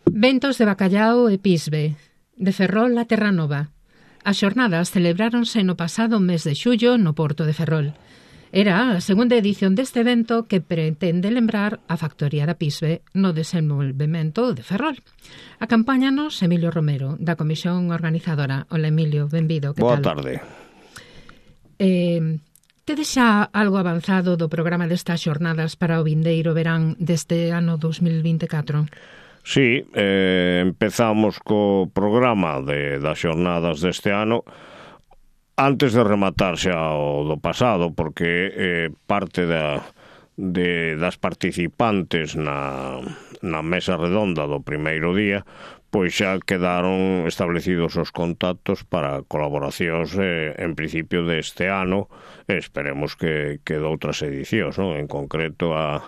Ventos de Bacallao e Pisbe, de Ferrol a Terranova. As xornadas celebráronse no pasado mes de xullo no Porto de Ferrol. Era a segunda edición deste evento que pretende lembrar a factoría da Pisbe no desenvolvemento de Ferrol. Acompáñanos Emilio Romero, da Comisión Organizadora. Hola Emilio, benvido, que tal? Boa tarde. Tedes xa algo avanzado do programa destas xornadas para o vindeiro verán deste ano 2024? Sí, empezamos co programa das xornadas deste ano antes de rematar xa o do pasado, porque parte das participantes na mesa redonda do primeiro día pois xa quedaron establecidos os contactos para colaboracións en principio deste ano, esperemos que doutras edicións, non? En concreto a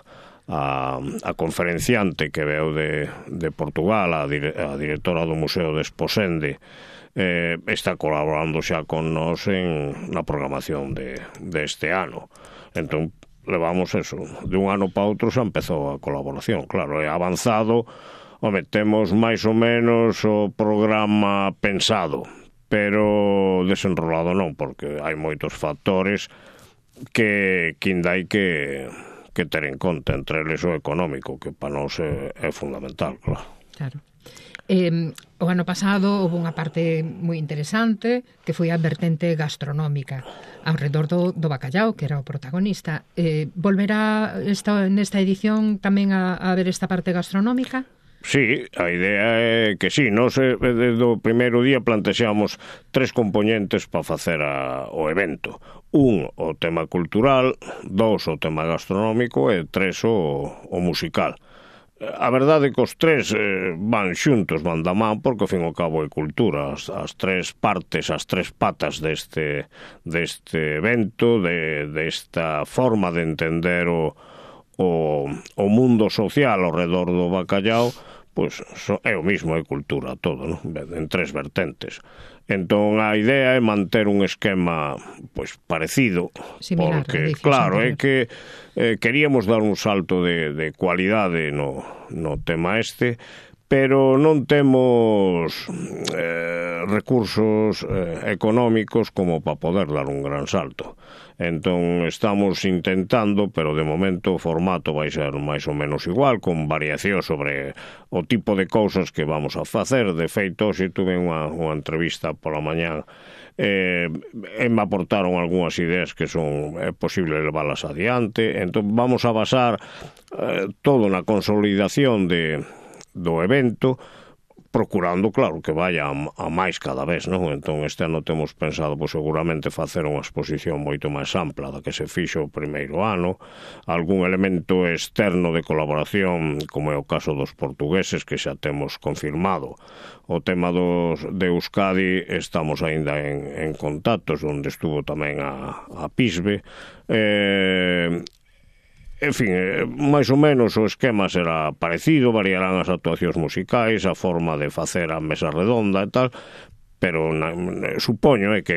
conferenciante que veu de Portugal, a directora do Museo de Esposende, está colaborando xa con nós na programación deste ano. Entón, levamos eso, de un ano para outro xa empezou a colaboración. Claro, é avanzado, temos máis ou menos o programa pensado, pero desenrolado non, porque hai moitos factores que ainda hai que ter en conta, entre eles o económico, que para nós é fundamental, claro. Claro. O ano pasado houve unha parte moi interesante que foi a vertente gastronómica ao redor do bacallao, que era o protagonista. Volverá nesta edición tamén a ver esta parte gastronómica? Sí, a idea é que sí, nós desde o primeiro día plantexamos 3 componentes para facer o evento. 1, o tema cultural, 2, o tema gastronómico e 3, o musical. A verdade é que os 3 van xuntos, van da man, porque ao fin e ao cabo é cultura. As 3 partes, as 3 patas deste evento, desta forma de entender o mundo social ao redor do bacallao, pois é o mismo, é cultura todo, non? En 3 vertentes. Entón a idea é manter un esquema pois parecido, similar, porque claro, é que queríamos dar un salto de cualidade no tema pero non temos recursos económicos como para poder dar un gran salto. Entón estamos intentando, pero de momento o formato vai ser máis ou menos igual, con variación sobre o tipo de cousas que vamos a facer. De feito, hoxe tuve unha entrevista pola mañá e me aportaron algunhas ideas que é posible leválas adiante. Entón vamos a basar todo na consolidación do evento, procurando, claro, que vaya a máis cada vez, non? Entón, este ano temos pensado, pois, seguramente facer unha exposición moito máis ampla da que se fixo o primeiro ano, algún elemento externo de colaboración, como é o caso dos portugueses, que xa temos confirmado. O tema de Euskadi, estamos aínda en contactos, onde estuvo tamén a Pisbe, en fin, máis ou menos o esquema será parecido, variarán as actuacións musicais, a forma de facer a mesa redonda e tal, pero supoño que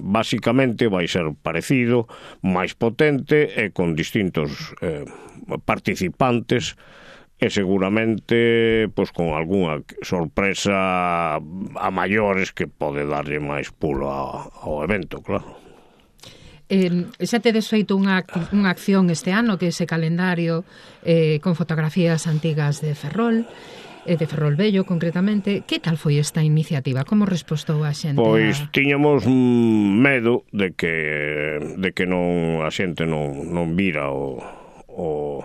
basicamente vai ser parecido, máis potente e con distintos participantes e seguramente pois con algunha sorpresa a maiores que pode darlle máis pulo ao evento, claro. Xa tedes feito unha acción este ano, que é ese calendario con fotografías antigas de Ferrol Vello, concretamente. Que tal foi esta iniciativa? Como respostou a xente? Pois tiñamos medo de que a xente non vira o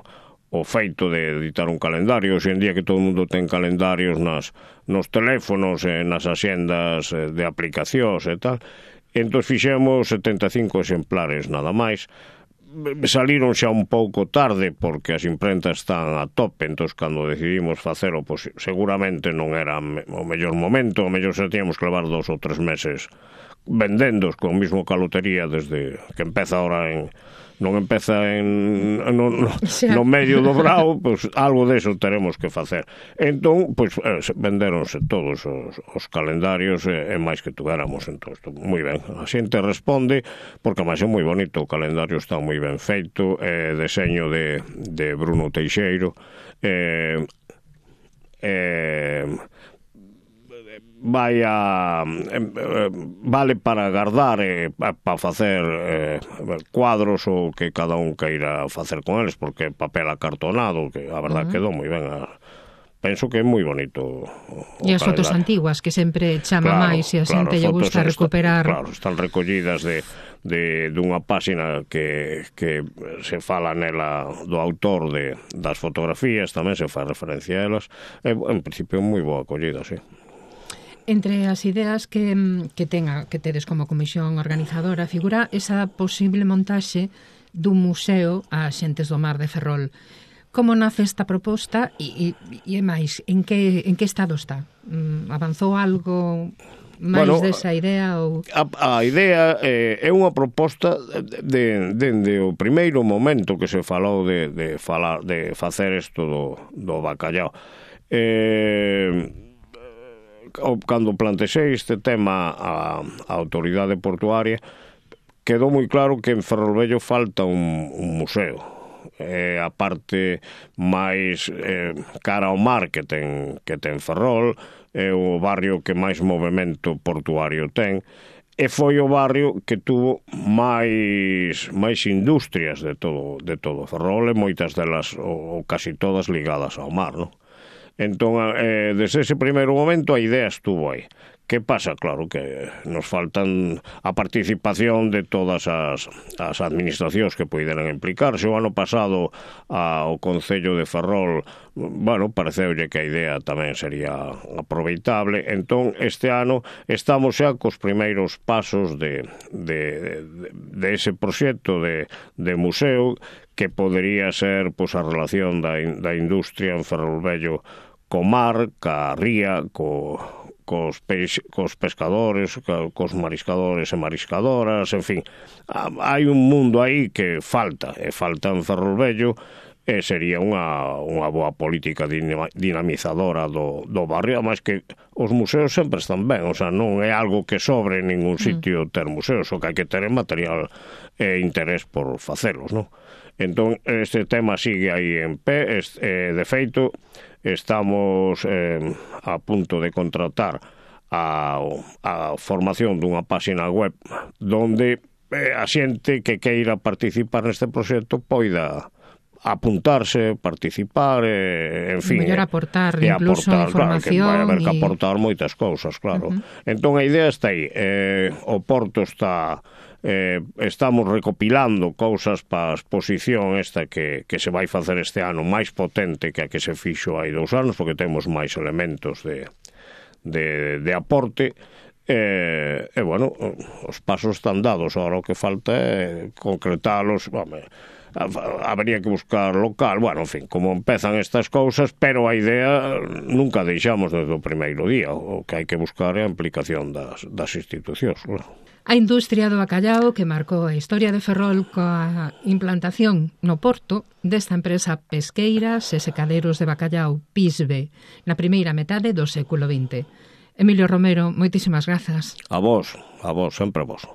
feito de editar un calendario. Hoxe en día que todo o mundo ten calendarios nos teléfonos e nas axendas de aplicacións e tal. Entón fixemos 75 exemplares nada máis. Saliron xa un pouco tarde porque as imprentas están a tope, entón cando decidimos facelo, pois seguramente non era o mellor momento, o mellor xa tiñamos que levar 2 ou 3 meses vendendos con mismo calotería desde que empeza ahora non empeza no medio do brao, pois algo deso teremos que facer. Entón, pois vendéronse todos os calendarios e máis que tuéramos. Entón, moi ben, a xente responde, porque máis é moi bonito, o calendario está moi ben feito, deseño de Bruno Teixeiro, vale para guardar para facer cuadros ou que cada un queira facer con eles, porque papel acartonado, que a verdad quedou moi ben. Penso que é moi bonito e as fotos antiguas, que sempre chama máis e a xente lle gusta recuperar. Claro, están recollidas dunha páxina que se fala nela do autor das fotografías, tamén se fai referencia a elas. En principio moi boa acollida, sí. Entre as ideas que tedes como comisión organizadora figura esa posible montaxe dun museo a xentes do mar de Ferrol. Como nace esta proposta e máis, en que estado está? Avanzou algo máis desa idea? A idea é unha proposta dende o primeiro momento que se falou de facer isto do bacallao. Cando plantexei este tema á autoridade portuaria, quedou moi claro que en Ferrolvello falta un museo. A parte máis cara ao mar que ten Ferrol, é o barrio que máis movimento portuario ten, e foi o barrio que tuvo máis industrias de todo Ferrol, e moitas delas, ou casi todas, ligadas ao mar, non? Entón, desde ese primeiro momento a idea estuvo aí. Que pasa? Claro que nos faltan a participación de todas as administracións que poideran implicarse. O ano pasado ao Concello de Ferrol, pareceulle que a idea tamén sería aproveitable. Entón, este ano estamos xa cos primeiros pasos de ese proxecto de museo, que podería ser a relación da industria en Ferrolvello co mar, ca ría, cos pescadores, cos mariscadores e mariscadoras, en fin, hai un mundo aí que falta en Ferrolvello, e sería unha boa política dinamizadora do barrio, máis que os museos sempre están ben, o sea, non é algo que sobre en ningún sitio ter museos, o que hai que ter material e interés por facelos, non? Entón, este tema sigue aí en pé, de feito, estamos a punto de contratar a formación dunha páxina web donde a xente que queira participar neste proxecto poida apuntarse, participar, en fin, mellor aportar incluso información, claro, que vai haber que aportar moitas cousas, claro. Entón a idea está aí, o Porto estamos recopilando cousas para a exposición esta que se vai facer este ano, máis potente que a que se fixo hai 2 anos, porque temos máis elementos de aporte. Os pasos están dados, agora o que falta é concretalos. Habería que buscar local, en fin, como empezan estas cousas, pero a idea nunca deixamos desde o primeiro día. O que hai que buscar é a implicación das institucións, claro. A industria do bacallao que marcou a historia de Ferrol coa implantación no Porto desta empresa pesqueira e secaderos de bacallao Pisbe na primeira metade do século XX. Emilio Romero, moitísimas grazas. A vos, sempre a vos.